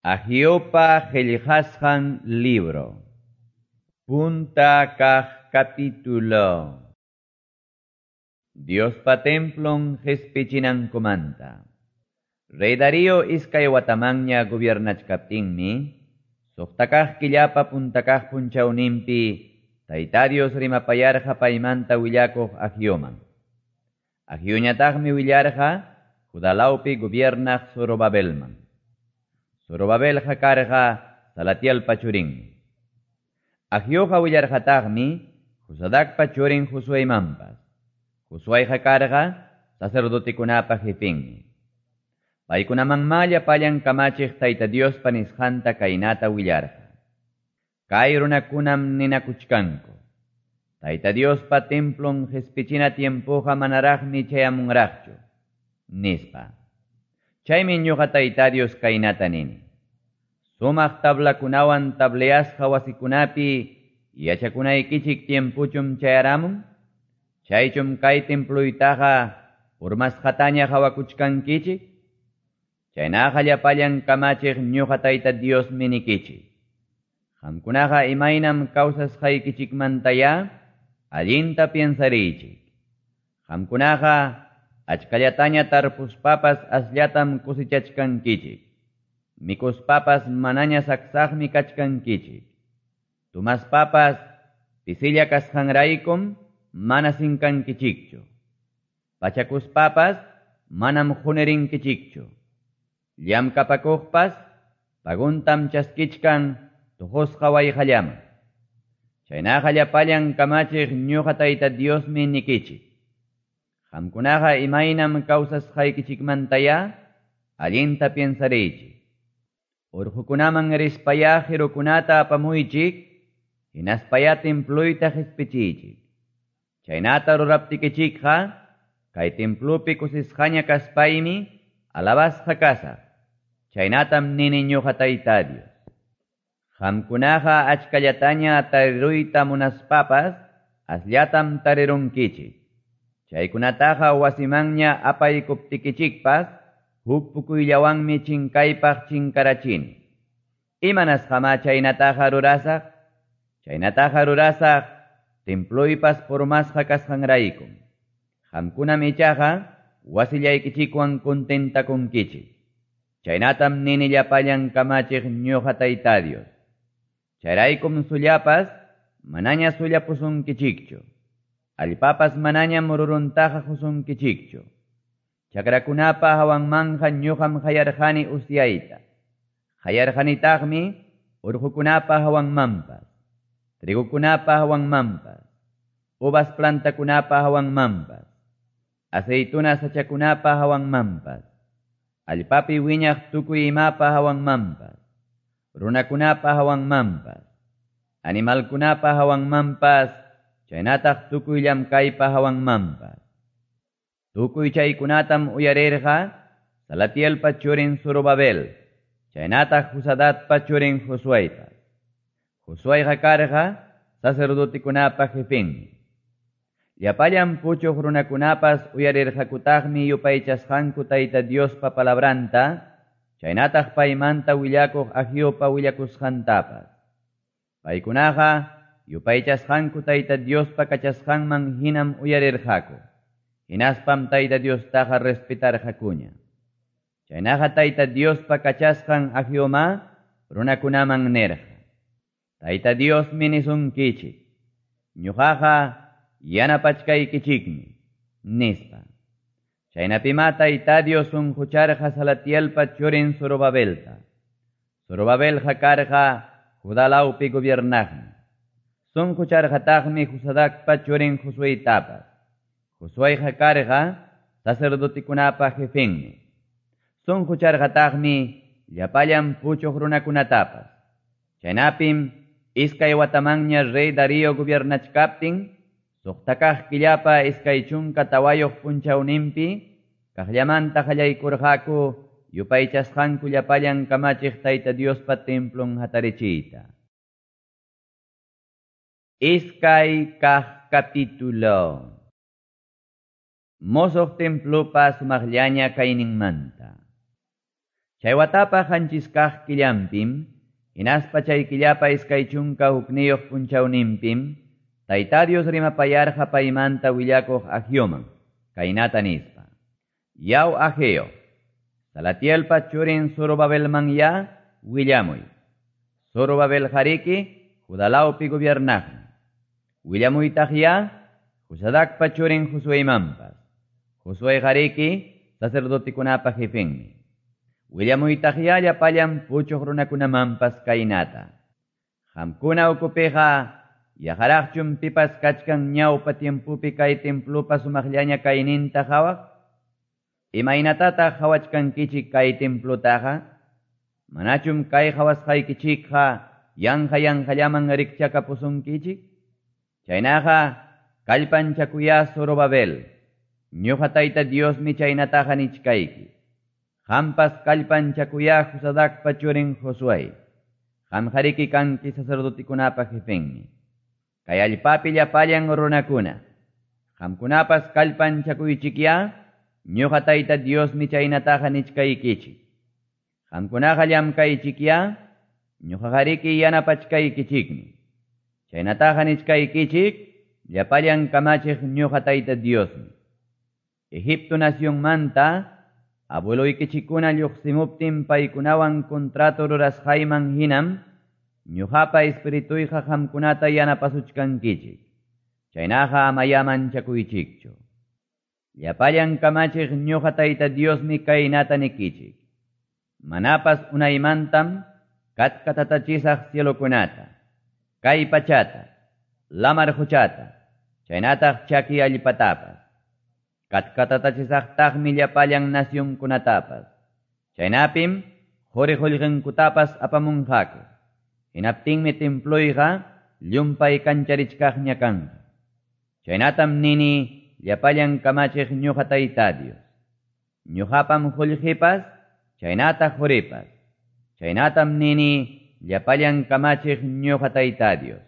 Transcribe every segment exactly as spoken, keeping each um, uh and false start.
Ageopa qillqasqan libro. Punta kaq capítulo. Diospa templon qespichinankumanta. Rey Darío iskay watamanña gobiernachkaptinmi, suqta kaq killapa punta kaq punchawninpi, Tayta Dios rimapayarqa paymanta willakuq Ageoman. Ageoñataqmi willarqa Judalawpi gobiernaq Zorobabelman. Zorobabelqa karqa Salatielpa churinmi. Ageoqa willarqataqmi Josadacpa churin Josueymanpas. Josueyqa karqa sacerdotekunapa jefenmi. Paykunamanmá llapallan kamachiq Tayta Diospa nisqanta kaynata willarqa. Kay runakunam ninakuchkanku. Tayta Diospa templon qespichina tiempoqa manaraqmi chayamunraqchu, nispa. Chaymi ñuqa Tayta Dios kaynata nini. Sumaq tablakunawan tableasqa wasikunapi yachakunaykichik tiempuchum chayaramun? Chaychum kay temploytaqa urmasqataña hawakuchkankichik? Chaynaqa llapallan kamachiq ñuqa Tayta Diosmi nikichik. Qamkunaqa imaynam kawsasqaykichikmantaya allinta piensariychik. Qamkunaqa achkallataña tarpuspapas asllatam cosechachkankichik. Mikuspapas manaña saksaqmi kachkankichik. Tumaspapas pisilla kasqanraykum mana sinkankichikchu. Pachakuspapas manam qunirinkichikchu. Llamkapakuqpas paguntam chaskichkan tuqusqa wayqallaman. Chaynaqa llapallan kamachiq ñuqa Tayta Diosmi nikichik. Qamkunaqa imaynam kawsasqaykichikmantaya allinta piensariychik. Urqukunaman rispaya qirukunata apamuychik, hinaspaya temployta qespichiychik. Chaynata ruraptikichikqa kay templopi kusisqaña kaspaymi alabasqa kasaq. Chaynatam nini ñuqa Tayta Dios. Qamkunaqa achkallataña tariruyta munaspapas asllatam tarirunkichik. Chaykunataqa wasimanña apaykuptikichikpas huk pukuyllawanmi chinkaypaq chinkarachini. Imanasqamá chaynataqa rurasaq? Chaynataqa rurasaq temploypas purmasqa kasqanraykum. Qamkunam ichaqa wasillaykichikwan contentakunkichik. Chaynatam nini llapallan kamachiq ñuqa Tayta Dios. Chayraykum sullapas manaña sullapusunkichikchu. Allpapas manaña mururuntaqa qusunkichikchu. Chakrakunapa hawanmanja ñuqam hayarqani usyayta. Hayarqanitaqmi urqukunapa hawanmanpas, trigukunapa hawanmanpas, uvas plantakunapa hawanmanpas, aceituna sachakunapa hawanmanpas, allpapi wiñaq tukuy imapa hawanmanpas, runakunapa hawanmanpas, animalkunapa hawanmanpas, chaynataq tukuy llamkaypa hawanmanpas. Tukuy chaykunatam uyarirqa Salatielpa churin Zorobabel, chaynataq Josadatpa churin Josueypas. Josueyqa karqa sacerdotekunapa jefenmi. Llapallan puchuq runakunapas uyarirqakutaqmi yupaychasqanku Tayta Diospa palabranta, chaynataq paymanta willakuq Ageopa willakusqantapas. Paykunaqa yupaychasqanku Tayta Diospa kachasqanman hinam uyarirqaku. Hinaspam Tayta Diostaqa respetarqakuña. Chaynaqa Tayta Diospa kachasqan Ageomá runakunaman nirqa. Tayta Diosmi nisunkichik. Ñuqaqa yanapachkaykichikmi, nispa. Chaynapimá Tayta Dios sunqucharqa Salatielpa churin Zorobabelta. Zorobabelqa karqa Judalawpi gobiernaqmi. Sunqucharqataqmi Josadacpa churin Josueytapas. Josueyqa karqa sacerdotekunapa jefenmi. Sunqucharqataqmi llapallan puchuq runakunatapas. Chaynapim iskay watamanña rey Darío gobiernachkaptin, suqta kaq killapa iskay chunka tawayuq punchawninpi, kaqllamanta qallaykurqaku yupaychasqanku llapallan kamachiq Tayta Diospa templon hatarichiyta. Iskay kaq capítulo. Mosoq templopa sumaqllaña kayninmanta. Chay watapa qanchis kaq killanpim, hinaspa chay killapa iskay chunka hukniyuq punchawninpim, Tayta Dios rimapayarqa paymanta willakuq Ageoman, kaynata nispa. Yaw Ageo, Salatielpa churin Zorobabelman ya willamuy. Zorobabel hariki Judalawpi gobiernaqmi. Willamuytaq ya Josadacpa churin Josueymanpas. Josué hariki sacerdotekunapa jefenmi. Willamuytaq ya llapallan puchuq runakunamanpas kaynata. Qamkuna ukupiqa yaharaqchum pipas kachkan ñawpa tiempupi kay templupa sumaqllaña kayninta qhawaq? Imaynatataq qhawachkankichik kay templutaqa? Manachum kay qhawasqaykichikqa yanqa yanqallaman rikchakapusunkichik? Chaynaqa kallpanchakuya Zorobabel, ñuqa Tayta Diosmi chaynataqa nichkayki. Qampas kallpanchakuya Josadacpa churin Josué. Qamqariki kanki sacerdotekunapa jefenmi. Kay allpapi llapallan runakuna. Qamkunapas kallpanchakuychikya, ñuqa Tayta Diosmi chaynataqa nichkaykichik. Qamkunaqa llamkaychikya, ñuqaqariki yanapachkaykichikmi. Chaynataqa nichkaykichik, llapallan kamachiq ñuqa Tayta Diosmi. Egipto nacionmanta, abueloykichikkuna lluqsimuptin paykunawan contrato rurasqayman hinam, ñuqapa espirituyqa qamkunata yanapasuchkankichik. Chaynaqa amaya manchakuychikchu. Llapallan kamachiq ñuqa Tayta Diosmi kaynata nikichik. Manapas unaymantam katkatatachisaq cielokunata, kay pachata, lamar quchata, chaynataq chaki allpatapas. Katkatatachisaqtaqmi llapallan nacionkunatapas. Chaynapim quri qullqinkutapas apamunqaku. Hinaptinmi temployqa llumpay kancharichkaqña kanqa. Chaynatam nini llapallan kamachiq ñuqa Tayta Dios. Ñuqapam qullqipas, chaynataq quripas. Chaynatam nini llapallan kamachiq ñuqa Tayta Dios.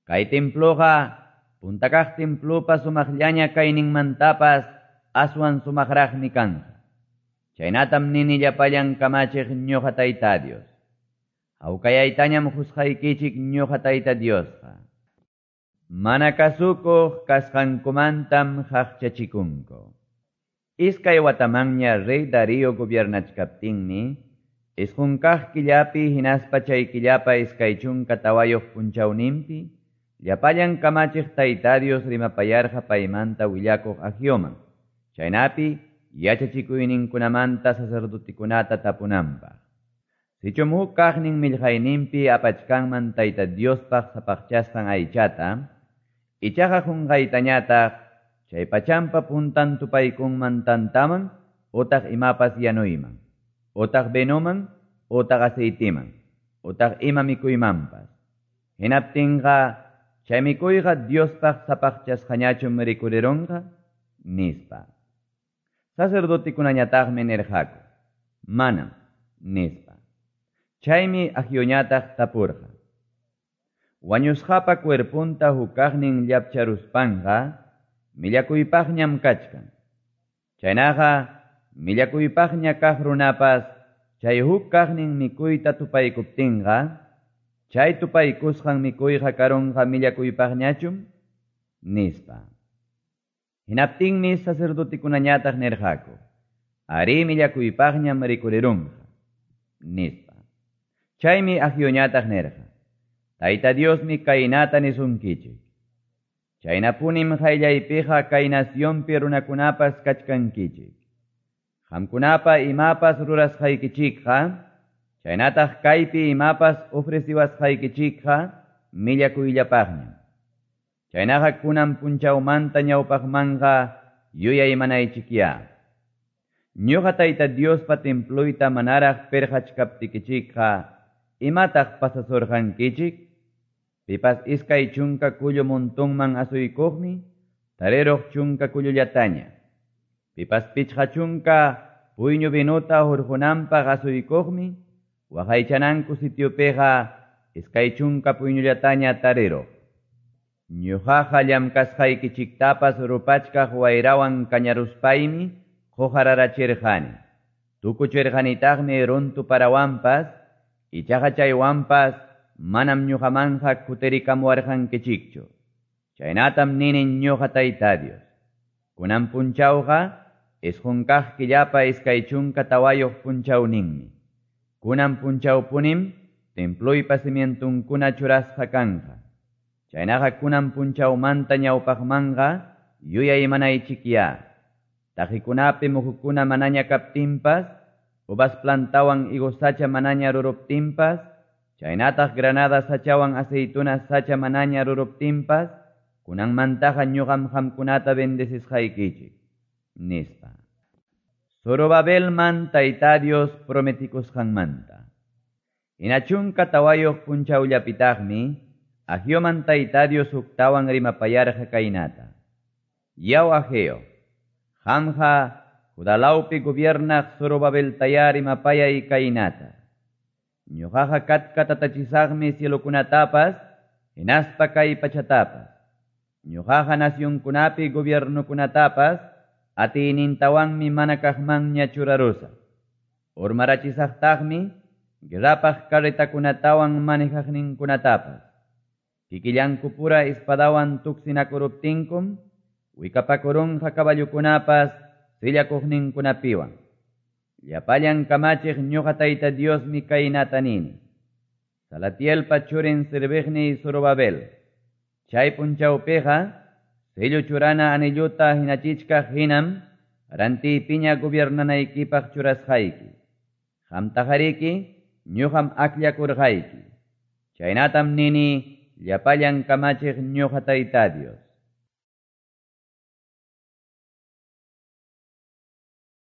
Kay temploqa puntakaq templopa sumaqllaña kayninmantapas aswan sumaqraqmi kanqa. Chaynatam nini llapallan kamachiq ñuqa Tayta Dios. Hawkayaytañam qusqaykichik ñuqa Tayta Diosqa. Mana kasukuq kasqankumantam qaqchachikunku. Iskay watamanña rey Darío gobiernachkaptinmi, isqun kaq killapi hinaspa chay killapa iskay chunka tawayuq punchawninpi, llapallan kamachiq Tayta Dios rimapayarqa paymanta willakuq Ageoman, chaynapi yachachikuyninkunamanta sacerdotekunata tapunanpaq. Sichum huk kaqnin millqayninpi apachkanman Tayta Diospaq sapaqchasqan aychata, ichaqa qunqaytañataq chay pachampa puntan tupaykunman tantaman utaq imapas yanuyman, utaq vinoman, utaq aceitiman, utaq ima mikuymanpas. Hinaptinqa chay mikuyqa Diospaq sapaqchasqañachum rikurirunqa, nispa. Sacerdotekunañataqmi nirqaku, manam, nispa. Chaymi Ageoñataq tapurqa. Wañusqapa cuerpunta hukaqnin llapcharuspanqa, millakuypaqñam kachkan. Chaynaqa millakuypaqña kaq runapas chay huk kaqnin mikuyta tupaykuptinqa, chay tupaykusqan mikuyqa karunqa millakuypaqñachum, nispa. Hinaptinmi sacerdotekunañataq nirqaku, arí millakuypaqñam rikurirunqa, nispa. Chaymi Ageoñataq nirqa, Tayta Diosmi kaynata nisunkichik. Chaynapunim qayllaypiqa kay nacionpi runakunapas kachkankichik. Qamkunapa imapas rurasqaykichikqa, chaynataq kaypi imapas ofreciwasqaykichikqa millakuyllapaqñam. Chaynaqa kunan punchawmanta ñawpaqmanqa yuyaymanaychikya. Ñuqa Tayta Diospa temployta manaraq pirqachkaptikichikqa, imataq pasasurqankichik? Pipas iskay chunka kullu montonman asuykuqmi, tariruq chunka kullullataña. Pipas pichqa chunka puyñu vinuta hurqunanpaq asuykuqmi, waqaychananku sitiopiqa iskay chunka puyñullataña tariruq. Ñuqaqa llamkasqaykichiktapas rupachkaq wayrawan kañaruspaymi qujararachirqani. Tukuchirqanitaqmi runtu parawanpas, ichaqa chaywanpas manam ñuqamanqa kutirikamuwarqankichikchu. Chaynatam nini ñuqa Tayta Dios. Kunan punchawqa isqun kaq killapa iskay chunka tawayuq punchawninmi. Kunan punchawpunim temploypa cimientunkuna churasqa kanqa. Chaynaqa kunan punchawmanta ñawpaqmanqa yuyaymanaychikya. Taqikunapi muhukuna manaña kaptinpas, uvas plantawan higos sacha manaña ruruptinpas, chaynataq granada sachawan aceituna sacha manaña ruruptinpas, kunanmantaqa ñuqam qamkunata bendecisqaykichik, nispa. Zorobabelman Tayta Dios prometikusqanmanta. Hina chunka tawayuq punchawllapitaqmi, Ageoman Tayta Dios huktawan rimapayarqa kaynata. Yaw Ageo, qamqa Judalawpi gobiernaq Zorobabeltayá rimapayay kaynata. Ñuqaqa katkatatachisaqmi cielokunatapas, hinaspa kay pachatapas. Ñuqaqa nacionkunapi gobiernokunatapas, atiynintawanmi mana kaqmanña churarusaq. Urmarachisaqtaqmi guerrapaq carretakunatawan manejaqninkunatapas. Kikillankupura espadawan tuksinakuruptinkum, wikapakurunqa caballukunapas sillakuqninkunapiwan. Llapallan kamachiq ñuqa Tayta Diosmi kaynata nini. Salatielpa churin serviqniy Zorobabel. Chay punchawpiqa sello churana anilluta hinachichkaq hinam rantiypiña gobiernanaykipaq churasqayki. Qamtaqariki ñuqam akllakurqayki. Chaynatam nini llapallan kamachiq ñuqa Tayta Dios.